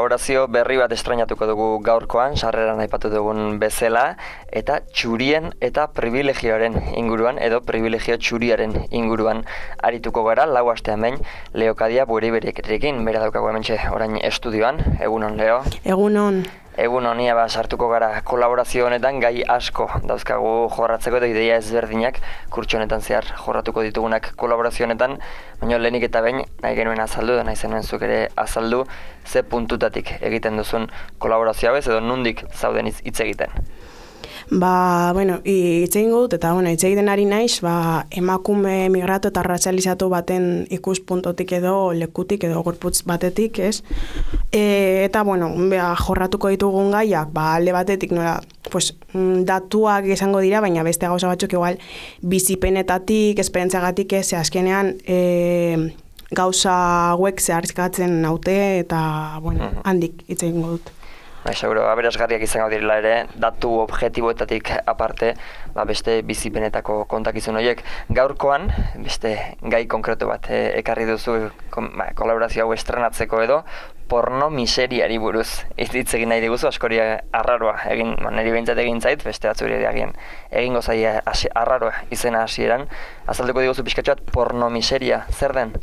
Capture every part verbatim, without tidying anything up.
Kolaborazio berri bat estrainatuko dugu gaurkoan, sarreran aipatu dugun bezala, eta txurien eta privilegioaren inguruan, edo privilegio txuriaren inguruan arituko gara, lau astean behin, Leo Kadia Bueriberekin, bera daukagu hementxe orain estudioan. Egunon, Leo? Egunon. Egun honia ba, sartuko gara kolaborazio honetan gai asko dauzkagu jorratzeko eta ideia ezberdinak kurtso honetan zehar jorratuko ditugunak kolaborazio honetan, baina lehenik eta behin nahi genuen azaldu, da nahi zenuen zuk ere azaldu, ze puntutatik egiten duzun kolaborazio hau ez edo nundik zauden hitz egiten. Ba, bueno, hitz egingo dut, eta, bueno, hitz egiten ari naiz, ba, emakume migratu eta razializatu baten ikuspuntotik edo lekutik edo gorputz batetik, ez? E, eta, bueno, beha, jorratuko ditugun gaiak, ba, alde batetik, nola, pues, datuak izango dira, baina beste gauza batzuk igual bizipenetatik, esperientziagatik, ez, azkenean, e, gauza hauek zeharkatzen naute, eta, bueno, handik hitz egingo dut. Bai, seguro, aberasgarriak izango direla ere, datu objektiboetatik aparte, ba, beste bizipenetako kontakizun horiek. Gaurkoan, beste gai konkretu bat e, ekarri duzu kon, ba, kolaborazio hau estrenatzeko edo, porno miseriari buruz hitz egin nahi diguzu, askori arraroa egin, ba, niri behintzat egin zait, beste batzuri egin egingo zaia arraroa izena hasieran. Azalduko diguzu pixkatxoat porno miseria, zer den?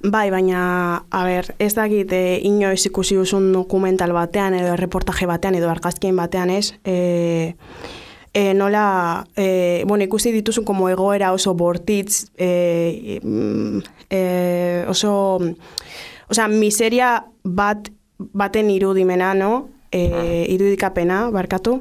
Bai, baina, a ber, ez dakit e, inoiz ikusi duzun dokumental batean edo reportaje batean edo argazkien batean ez, e, e, nola, e, bueno, ikusi dituzun como egoera oso bortitz, e, e, oso, osea, miseria bat, baten irudimena, no? E, irudikapena, barkatu,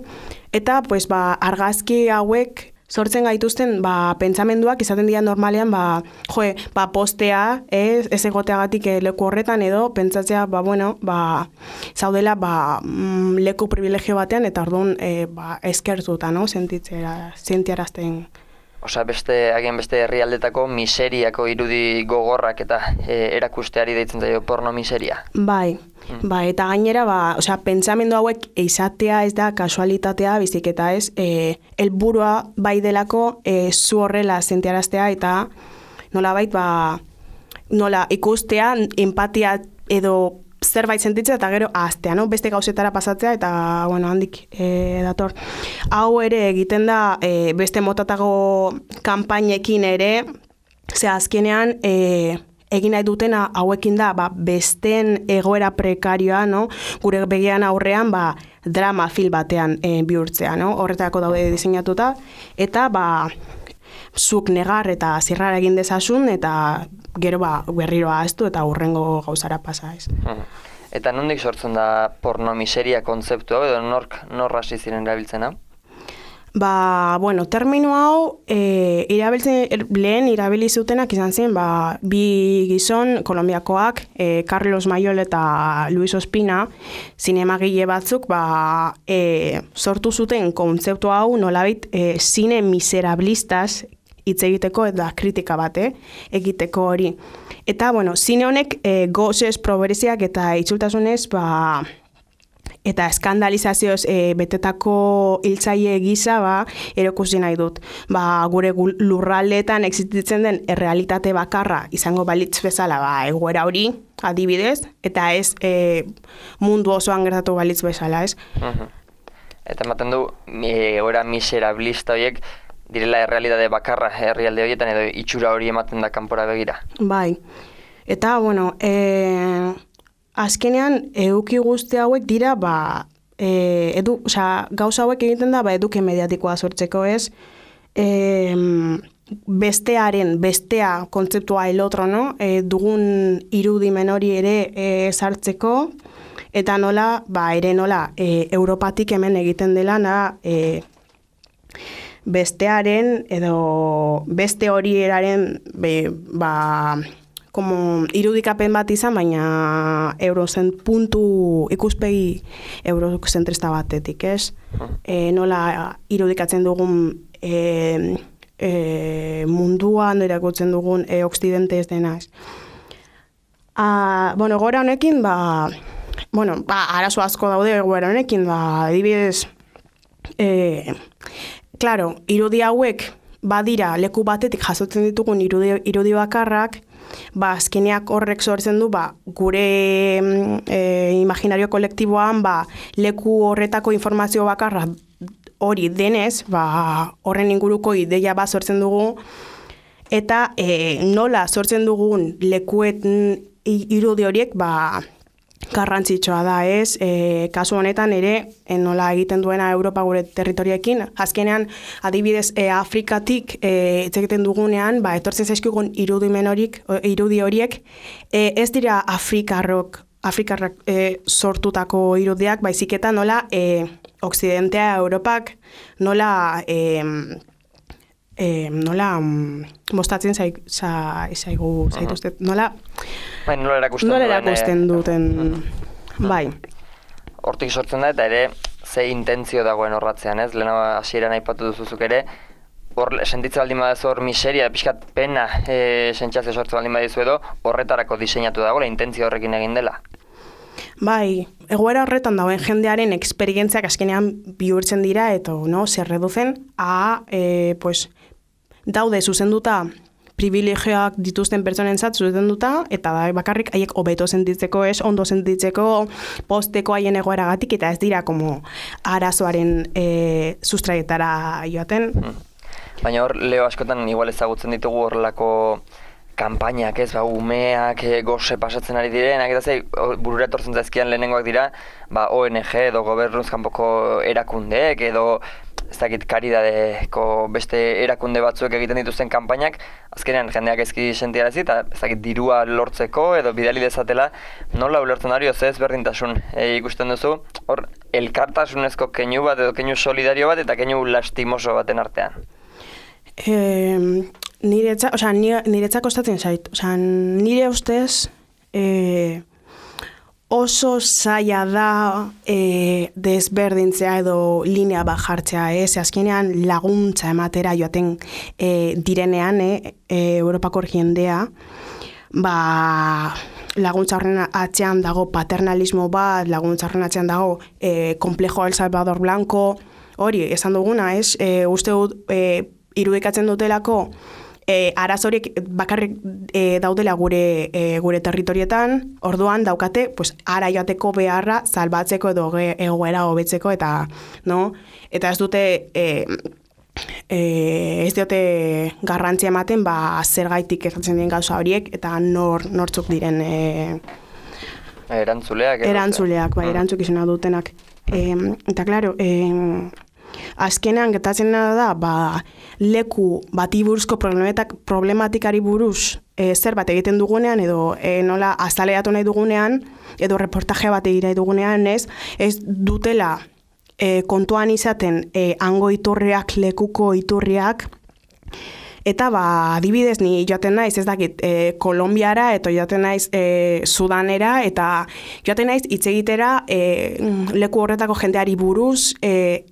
eta, pues, ba, argazki hauek, sortzen gaituzten, ba, pentsamenduak izaten dira normalean, ba, joe, ba, postea, ez, ez egoteagatik leku horretan edo, pentsatzea, ba, bueno, ba, zaudela, ba, mm, leku privilegio batean, eta orduan, e, ba, eskertuta, no, sentitzera, sentiarazten. Osa, beste, agian beste herrialdetako miseriako irudi gogorrak eta e, erakusteari deitzen zaio porno miseria. Bai, mm. ba, eta gainera, ba, osea, pentsamendu hauek izatea ez da kasualitatea, bizik eta ez, e, helburua bai delako e, zu horrela sentiaraztea eta nolabait, ba, nola ikustea, empatia edo zerbait sentitzea eta gero ahaztea, no? Beste gauzetara pasatzea eta, bueno, handik e, dator. Hau ere egiten da e, beste motatako kanpainekin ere, ze azkenean e, egin nahi dutena hauekin da, ba, besteen egoera prekarioa, no? Gure begian aurrean, ba, drama film batean e, bihurtzea, no? Horretako daude diseinatuta, eta, ba, zuk negar eta zirrara egin dezasun, eta gero ba, berriro ahaztu eta hurrengo gauzara pasa ez. Eta nondik sortzen da porno miseria kontzeptu hau, edo nork norra hasi ziren erabiltzena? Ba, bueno, termino hau e, irabiltzen, lehen irabili zutenak izan zen, ba, bi gizon kolombiakoak, e, Carlos Mayol eta Luis Ospina, zinemagile batzuk, ba, e, sortu zuten kontzeptu hau nolabait e, zine miserablistas hitz egiteko eta kritika bate egiteko hori. Eta, bueno, zine honek e, gozez, probereziak eta itzultasunez, ba, eta eskandalizazioz e, betetako hiltzaile gisa, ba, erokusi nahi dut. Ba, gure lurraldeetan existitzen den errealitate bakarra izango balitz bezala, ba, egoera hori, adibidez, eta ez e, mundu osoan gertatu balitz bezala, ez? Uh-huh. Eta ematen du, egoera miserablista horiek, direla errealitate bakarra herrialde horietan edo itxura hori ematen da kanpora begira. Bai. Eta, bueno, e, azkenean eduki guzti hauek dira, ba, e, edu, oza, gauza hauek egiten da, ba, eduki mediatikoa sortzeko ez, e, bestearen, bestea kontzeptua el otro, no? E, dugun irudimen hori ere e, sartzeko, eta nola, ba, ere nola, e, Europatik hemen egiten dela, na, e, bestearen edo beste hori eraren be, ba, como irudikapen bat izan, baina eurozen puntu ikuspegi eurozentrista batetik, ez? E, nola irudikatzen dugun e, e, munduan erakutzen dugun e, oksidente ez dena. Ez. A, bueno, egoera honekin, ba, bueno, ba, arazo asko daude egoera honekin, ba, adibidez, e, claro, irudi hauek badira leku batetik jasotzen ditugun irudi, irudi bakarrak, ba, azkeneak horrek sortzen du, ba, gure e, imaginario kolektiboan, ba, leku horretako informazio bakarra hori denez, ba, horren inguruko ideia bat sortzen dugu, eta e, nola sortzen dugun lekuet irudi horiek, ba, garrantzitsua da, ez? E, kasu honetan ere, e, nola egiten duena Europa gure territoriekin, azkenean adibidez e, Afrikatik e, egiten dugunean, ba, etortzen zaizkigun irudimen horik, irudi horiek, e, ez dira Afrikarrok, Afrikarrak e, sortutako irudiak, baizik eta nola e, Occidentea Europak, nola e, e, nola mostatzen zaigu, zaigu, zaituzte, nola Bai, nola erakusten, nola erakusten duten, duen, bai. Hortik sortzen da, eta ere, ze intentzio dagoen horratzean, ez? Lehena hasieran aipatu duzuzuk ere, hor sentitzen baldin badazu hor miseria, pixkat pena e, sentsazio sortzen baldin badizu edo, horretarako diseinatu dagoela, intentzio horrekin egin dela. Bai, egoera horretan dauen jendearen esperientziak azkenean bihurtzen dira, eta no, se reducen a, e, pues, daude zuzenduta privilegioak dituzten pertsonentzat zuzenduta, eta da bakarrik haiek hobeto sentitzeko, ez, ondo sentitzeko, posteko haien egoeragatik, eta ez dira como arazoaren e, sustraietara joaten. Hmm. Baina hor, Leo, askotan igual ezagutzen ditugu horrelako kanpainak, ez, ba, umeak e, goze pasatzen ari direnak, eta zei, burura etortzen zaizkian lehenengoak dira, ba, O N G edo gobernuz kanpoko erakundeek, edo ez dakit karidadeko beste erakunde batzuek egiten dituzten kanpainak, azkenean jendeak ezki sentiarazi eta ez dakit dirua lortzeko edo bidali dezatela, nola ulertzen hori oze ezberdintasun e, ikusten duzu, hor elkartasunezko keinu bat edo keinu solidario bat eta keinu lastimoso baten artean. E, niretza, o sea, niretza kostatzen zait, o sea, nire ustez e, oso zaila da e, desberdintzea edo linea bat jartzea, ez? Azkenean laguntza ematera joaten e, direnean, e, e, Europako jendea, ba, laguntza horren atzean dago paternalismo bat, laguntza horren atzean dago e, komplejo El Salvador Blanco, hori, esan duguna, ez? E, uste dut, e, irudikatzen dutelako, E, arazoriek bakarrik e, daudela gure e, gure territorietan, orduan daukate, pues, ara joateko beharra salbatzeko edo egoera hobetzeko, eta, no? Eta ez dute, e, e, ez dute garrantzia ematen, ba, zergaitik gertatzen den gauza horiek, eta nor, nortzuk diren e, erantzuleak. Erantzuleak, bai, erantzukizuna dutenak. E, eta, klaro, e, azkenean gertatzen da, ba, leku bati buruzko problematikari buruz e, zer bat egiten dugunean, edo e, nola azaleatu nahi dugunean, edo reportaje bat egira dugunean, ez, ez dutela e, kontuan izaten e, hango iturriak, lekuko iturriak, eta ba, adibidez ni joaten naiz, ez dakit, e, Kolombiara, eta joaten naiz e, Sudanera, eta joaten naiz hitz egitera e, leku horretako jendeari buruz, e,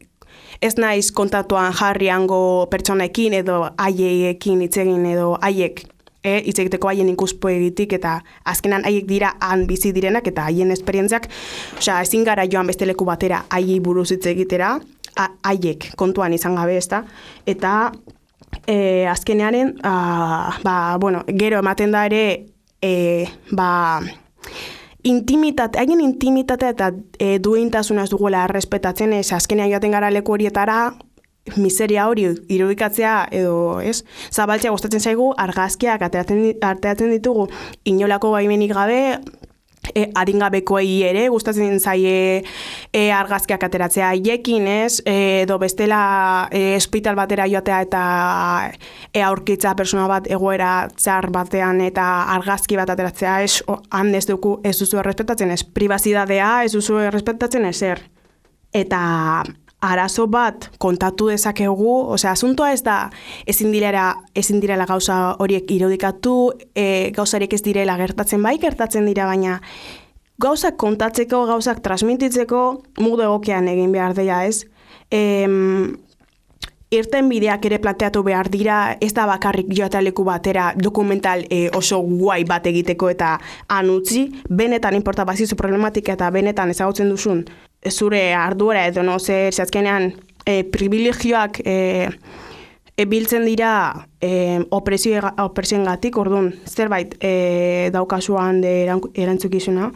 ez naiz kontatuan jarri hango pertsonekin edo haiekin hitz egin edo haiek e, hitz egiteko haien ikuspegitik, eta azkenan haiek dira han bizi direnak eta haien esperientziak, osea, ezin gara joan beste leku batera haiei buruz hitz egitera, haiek kontuan izan gabe, ezta? Eta e, azkenearen, a, ba, bueno, gero ematen da ere, e, ba, intimitate, haien intimitatea eta e, duintasuna ez duguela errespetatzen, ez azkenean joaten gara leku horietara, miseria hori irudikatzea edo, ez, zabaltzea gustatzen zaigu, argazkiak arteatzen ditugu inolako baimenik gabe, e, adingabekoei ere gustatzen zaie e, argazkiak ateratzea haiekin, ez, e, edo bestela e, hospital batera joatea eta e, aurkitza persona bat egoera txar batean eta argazki bat ateratzea, ez, han ez dugu, ez duzu errespetatzen, ez, pribazidadea, ez duzu errespetatzen ezer. Eta arazo bat kontatu dezakegu, osea, asuntoa ez da ezin direla, ezin direla gauza horiek irudikatu, e, gauzariek ez direla gertatzen, bai gertatzen dira, baina gauzak kontatzeko, gauzak transmititzeko modu egokian egin behar dela, ez? E, irten bideak ere planteatu behar dira, ez da bakarrik joataleku batera dokumental e, oso guai bat egiteko eta anutzi, benetan inporta bazizu problematika eta benetan ezagutzen duzun zure arduera edo no zer zazkenean e, privilegioak e, ebiltzen dira e, opresioen gatik, orduan zerbait e, daukasuan de erantzukizuna,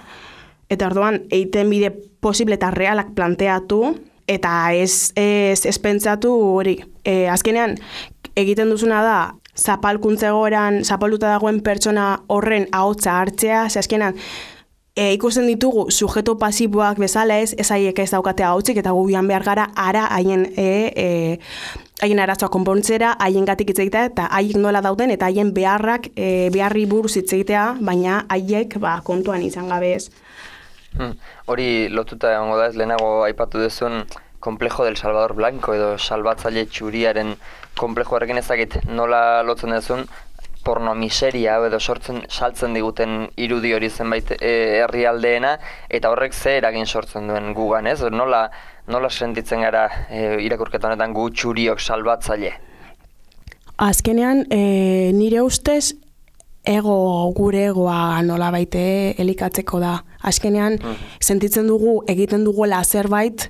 eta orduan eiten bide posible eta realak planteatu, eta ez, ez, ez pentsatu hori. E, azkenean, egiten duzuna da, zapalkuntza egoeran, zapalduta dagoen pertsona horren ahotsa hartzea, ze azkenean, e, ikusten ditugu sujeto pasiboak bezala ez, ez haiek ez daukate ahotzik, eta gubian behar gara ara haien e, e, haien arazoa konpontzera, haien gatik hitz egitea, eta haiek nola dauden, eta haien beharrak, e, beharri buruz hitz egitea, baina haiek ba, kontuan izan gabe ez. Hmm. Hori lotuta egongo da ez, lehenago aipatu duzun Complejo del Salvador Blanco edo salbatzaile txuriaren komplejo horrekin ezagit nola lotzen duzun porno miseria edo sortzen saltzen diguten irudi hori zenbait e, herrialdeena eta horrek ze eragin sortzen duen gugan, ez? Nola, nola sentitzen gara e, irakurketa honetan gu txuriok salbatzaile? Azkenean, e, nire ustez, ego gure egoa nola baite elikatzeko da. Azkenean, mm. sentitzen dugu egiten duguela zerbait,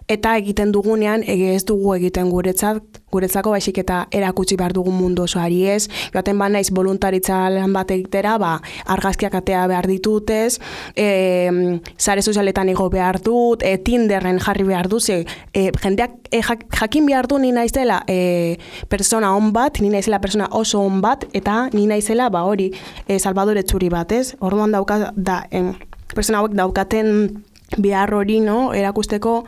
eta egiten dugunean ez dugu egiten guretzat, guretzako baizik eta erakutsi behar dugun mundu osoari ez. Joaten ba naiz voluntaritza lan bat egitera, ba, argazkiak atea behar ditutez, e, sare sozialetan igo behar dut, e, Tinderren jarri behar dut, e, jendeak e, jakin behar du ni naizela e, persona on bat, ni naizela persona oso on bat, eta ni naizela ba hori e, Salvador Etxuri bat, ez? Orduan dauka da, em, persona hauek daukaten behar hori, no? Erakusteko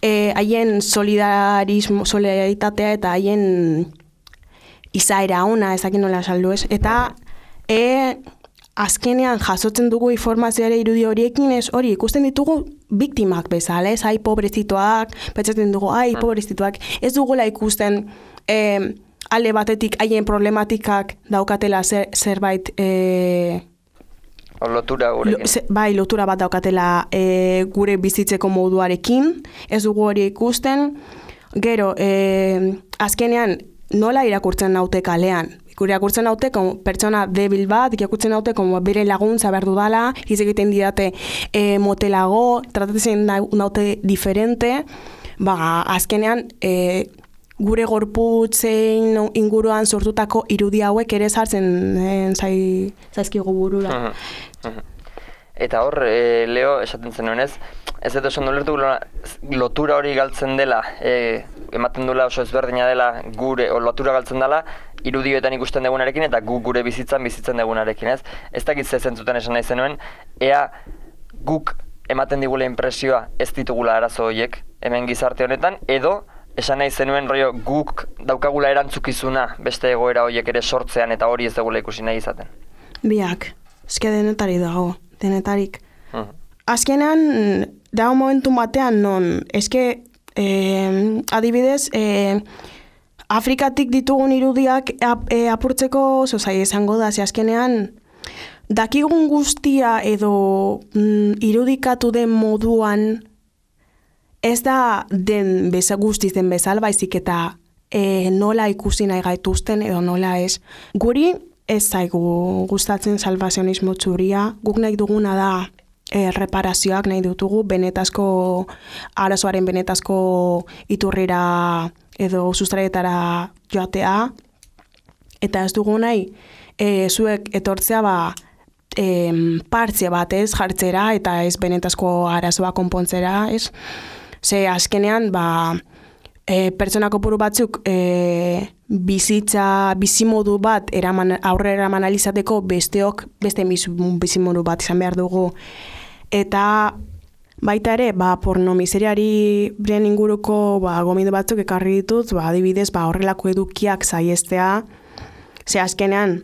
Eh, haien solidarismo, solidaritatea eta haien izaera ona, ezakin nola saldu ez. Eta e, azkenean jasotzen dugu informazioare irudi horiekin ez hori ikusten ditugu biktimak bezala, ez? Ai, pobrezituak, pentsatzen dugu, ai, pobrezituak. Ez dugula ikusten e, alde batetik haien problematikak daukatela zer, zerbait... E, O lotura gurekin. Lo, bai, lotura bat daukatela e, gure bizitzeko moduarekin, ez dugu hori ikusten. Gero, e, azkenean nola irakurtzen naute kalean? Irakurtzen naute pertsona debil bat, irakurtzen naute bere laguntza behar dudala, hitz egiten didate e, motelago, tratatzen naute diferente, ba, azkenean e, gure gorputzen inguruan sortutako irudi hauek ere sartzen e, zai, zaizkigu burura. Uh-huh. Uh-huh. Eta hor, e, Leo, esaten zenuen ez, ez dut esan dulertu lotura hori galtzen dela, e, ematen duela oso ezberdina dela gure, o lotura galtzen dela, irudioetan ikusten dugunarekin eta gu gure bizitzan bizitzen dugunarekin, ez? Ez dakit ze zentzuten esan nahi zenuen, ea guk ematen digula impresioa ez ditugula arazo horiek hemen gizarte honetan, edo esan nahi zenuen rollo guk daukagula erantzukizuna beste egoera horiek ere sortzean eta hori ez dugula ikusi nahi izaten. Biak, eske denetari dago, denetarik. Uh-huh. Azkenean, dago momentu batean non, eske eh, adibidez, eh, Afrikatik ditugun irudiak ap, e, apurtzeko oso zai esango da, ze azkenean dakigun guztia edo mm, irudikatu den moduan ez da den beza guztiz den bezala, baizik eta e, nola ikusi nahi gaituzten edo nola ez. Guri ez zaigu gustatzen salvazionismo txuria, guk nahi duguna da e, reparazioak nahi dutugu, benetazko arazoaren benetazko iturrira edo sustraietara joatea, eta ez dugu nahi e, zuek etortzea ba, e, partze bat ez jartzera eta ez benetazko arazoa konpontzera, ez? Ze azkenean, ba, e, pertsona kopuru batzuk e, bizitza, bizimodu bat eraman, aurre eraman alizateko besteok beste bizimodu bat izan behar dugu. Eta baita ere, ba, porno miseriari bren inguruko ba, gomindu batzuk ekarri ditut, ba, adibidez, ba, horrelako edukiak saiestea, ze azkenean,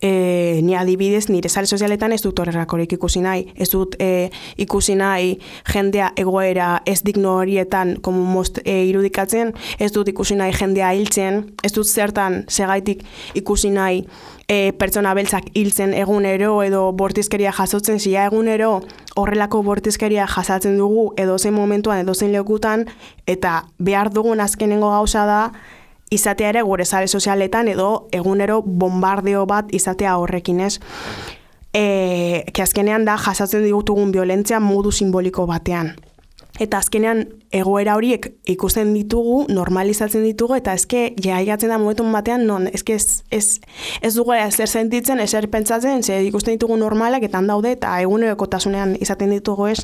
E, ni adibidez, nire sare sozialetan ez dut horrelakorik ikusi nahi. Ez dut e, ikusi nahi jendea egoera ez digno horietan como most, e, irudikatzen, ez dut ikusi nahi jendea hiltzen, ez dut zertan segaitik ikusi nahi e, pertsona beltzak hiltzen egunero edo bortizkeria jasotzen, zia egunero horrelako bortizkeria jasatzen dugu edo zein momentuan edo zein lekutan, eta behar dugun azkenengo gauza da, izatea ere gure sare sozialetan edo egunero bombardeo bat izatea horrekin, ez. E, ke azkenean da jasatzen ditugun violentzia modu simboliko batean. Eta azkenean egoera horiek ikusten ditugu, normalizatzen ditugu, eta ezke jaigatzen da momentun batean, non ezke ez, ez, ez dugu ezer sentitzen, ezer pentsatzen, ze ikusten ditugu normalak, eta handaude, eta egunerokotasunean izaten ditugu ez.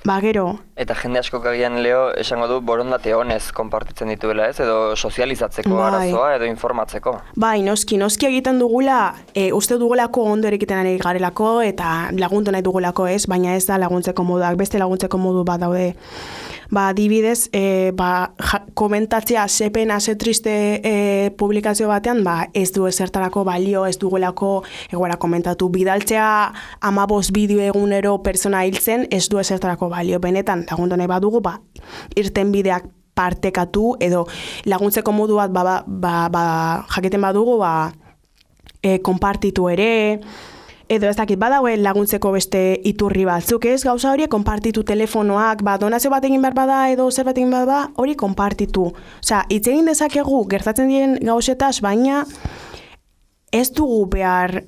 Ba, gero. Eta jende asko agian Leo esango du borondate honez konpartitzen dituela, ez? Edo sozializatzeko bai. arazoa edo informatzeko. Bai, noski, noski egiten dugula, e, uste dugulako ondo erikiten ari garelako eta laguntu nahi dugulako, ez? Baina ez da laguntzeko moduak, beste laguntzeko modu bat daude. Ba, adibidez, e, ba, ja, komentatzea ze pena, ze triste e, publikazio batean, ba, ez du ezertarako balio, ez dugulako egoera komentatu. Bidaltzea hamabost bideo egunero pertsona hiltzen, ez du ezertarako balio. Benetan, lagundu nahi badugu, ba, irten bideak partekatu, edo laguntzeko modu bat, ba, ba, ba, ba, jaketen badugu, ba, e, konpartitu ere, edo ez dakit, badaue laguntzeko beste iturri batzuk, ez? Gauza hori konpartitu telefonoak, ba, donazio bat egin behar bada edo zer bat egin behar bada, hori konpartitu. Osea, hitz egin dezakegu gertatzen diren gauzetaz, baina ez dugu behar,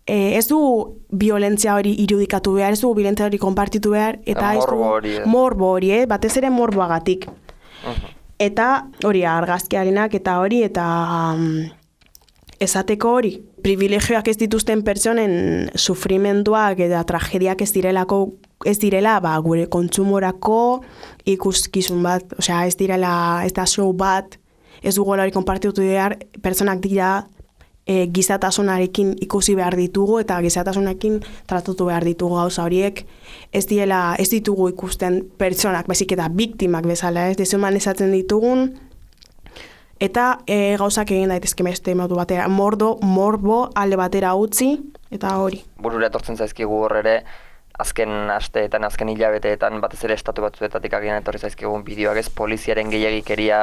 eh, ez dugu violentzia hori irudikatu behar, ez dugu violentzia hori konpartitu behar, eta ez dugu hori, eh? morbo hori, eh? Batez ere morboagatik. Uh-huh. Eta hori argazkiarenak eta hori, eta um, esateko hori, privilegioak ez dituzten pertsonen sufrimenduak eta tragediak ez direlako, ez direla, ba, gure kontsumorako ikuskizun bat, osea, ez direla, ez da show bat, ez dugu hori konpartitu behar, pertsonak dira e, gizatasunarekin ikusi behar ditugu eta gizatasunarekin tratatu behar ditugu gauza horiek, ez direla, ez ditugu ikusten pertsonak, baizik eta biktimak bezala, ez desumanezatzen ditugun, eta e, gauzak egin daitezke beste modu batera, mordo, morbo alde batera utzi, eta hori. Burura etortzen zaizkigu hor ere, azken asteetan, azken hilabeteetan, batez ere estatu batzuetatik agian etorri zaizkigun bideoak, ez, poliziaren gehiagikeria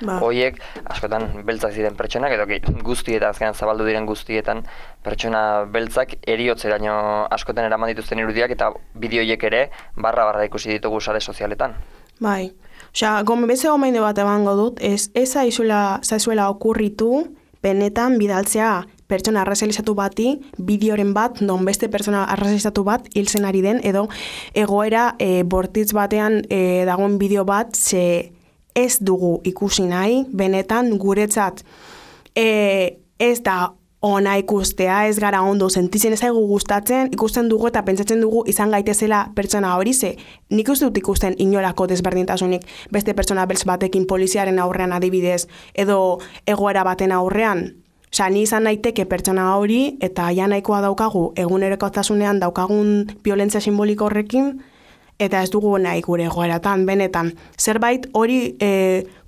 ba. Hoiek, askotan beltzak ziren pertsonak, edo guztietan, azkenan zabaldu diren guztietan, pertsona beltzak eriotzeraino askotan eraman dituzten irudiak, eta bideoiek ere barra-barra ikusi ditugu sare sozialetan. Bai. Osea, gome beze gomainde bat ebango dut, ez, ez zaizuela, zaizuela okurritu, benetan bidaltzea pertsona arrazalizatu bati, bideoren bat, non beste pertsona arrazalizatu bat hiltzen ari den, edo egoera e, bortitz batean e, dagoen bideo bat, ze ez dugu ikusi nahi, benetan guretzat e, ez da ona ikustea, ez gara ondo sentitzen, ez zaigu gustatzen, ikusten dugu eta pentsatzen dugu izan gaitezela pertsona hori, ze nik uste dut ikusten inolako desberdintasunik beste pertsona beltz batekin poliziaren aurrean adibidez, edo egoera baten aurrean. Osea, ni izan naiteke pertsona hori eta ja nahikoa daukagu egunerokotasunean daukagun violentzia simboliko horrekin, eta ez dugu nahi gure egoeratan, benetan. Zerbait hori e,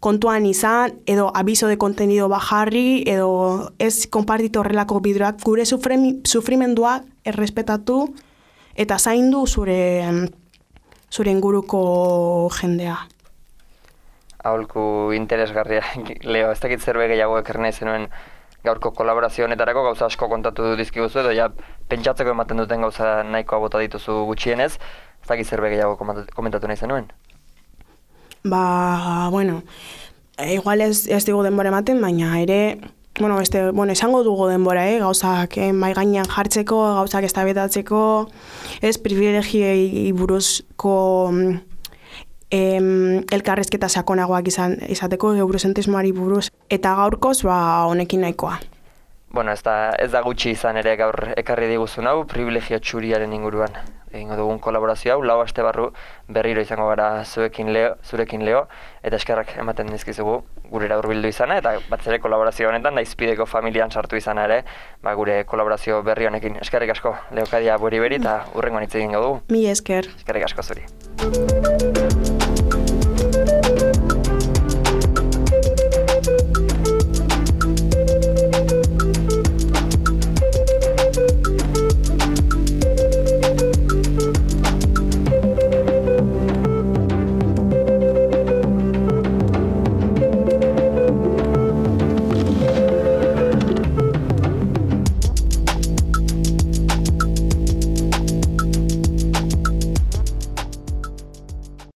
kontuan izan, edo abiso de kontenido bajarri, edo ez konpartitu horrelako bideoak, gure sufrimenduak errespetatu, eta zaindu zure, zure inguruko jendea. Aholku interesgarria, Leo, ez dakit zerbait gehiago ekarri nahi zenuen gaurko kolaborazio honetarako, gauza asko kontatu dizkiguzu, edo ja pentsatzeko ematen duten gauza nahikoa bota dituzu gutxienez, ez dakit zerbait gehiago komentatu nahi zenuen? Ba, bueno, igual ez, ez digu denbora ematen, baina ere, bueno, beste, bueno, esango dugu denbora, eh? Gauzak eh, mai gainean jartzeko, gauzak eztabaidatzeko, ez privilegiei buruzko em, elkarrezketa sakonagoak izan, izateko, eurozentrismoari buruz, eta gaurkoz, ba, honekin nahikoa. Bueno, ez da, ez da gutxi izan ere gaur ekarri diguzun hau, privilegio txuriaren inguruan egingo dugun kolaborazio hau, lau aste barru berriro izango gara zuekin Leo, zurekin Leo, eta eskerrak ematen dizkizugu gurera hurbildu izana, eta batez ere kolaborazio honetan, Daizpideko familian sartu izana ere, ba, gure kolaborazio berri honekin. Eskerrik asko, Leokadia beri beri, eta hurrengoan hitz egingo dugu. Mi esker. Eskerrik asko zuri.